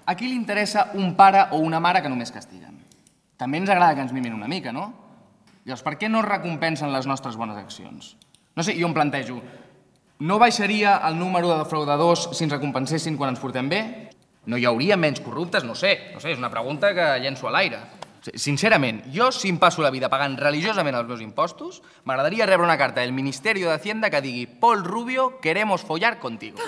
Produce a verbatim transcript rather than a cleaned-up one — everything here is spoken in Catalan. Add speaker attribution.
Speaker 1: A qui li interessa un pare o una mare que només castiguen? També ens agrada que ens mimin una mica, no? Llavors, per què no recompensen les nostres bones accions? No sé, jo em plantejo, no baixaria el número de defraudadors si ens recompensessin quan ens portem bé? No hi hauria menys corruptes? No sé, no sé, és una pregunta que llenço a l'aire. Sincerament, jo si em passo la vida pagant religiosament els meus impostos, m'agradaria rebre una carta del Ministerio de Hacienda que digui «Pol Rubio, queremos follar contigo».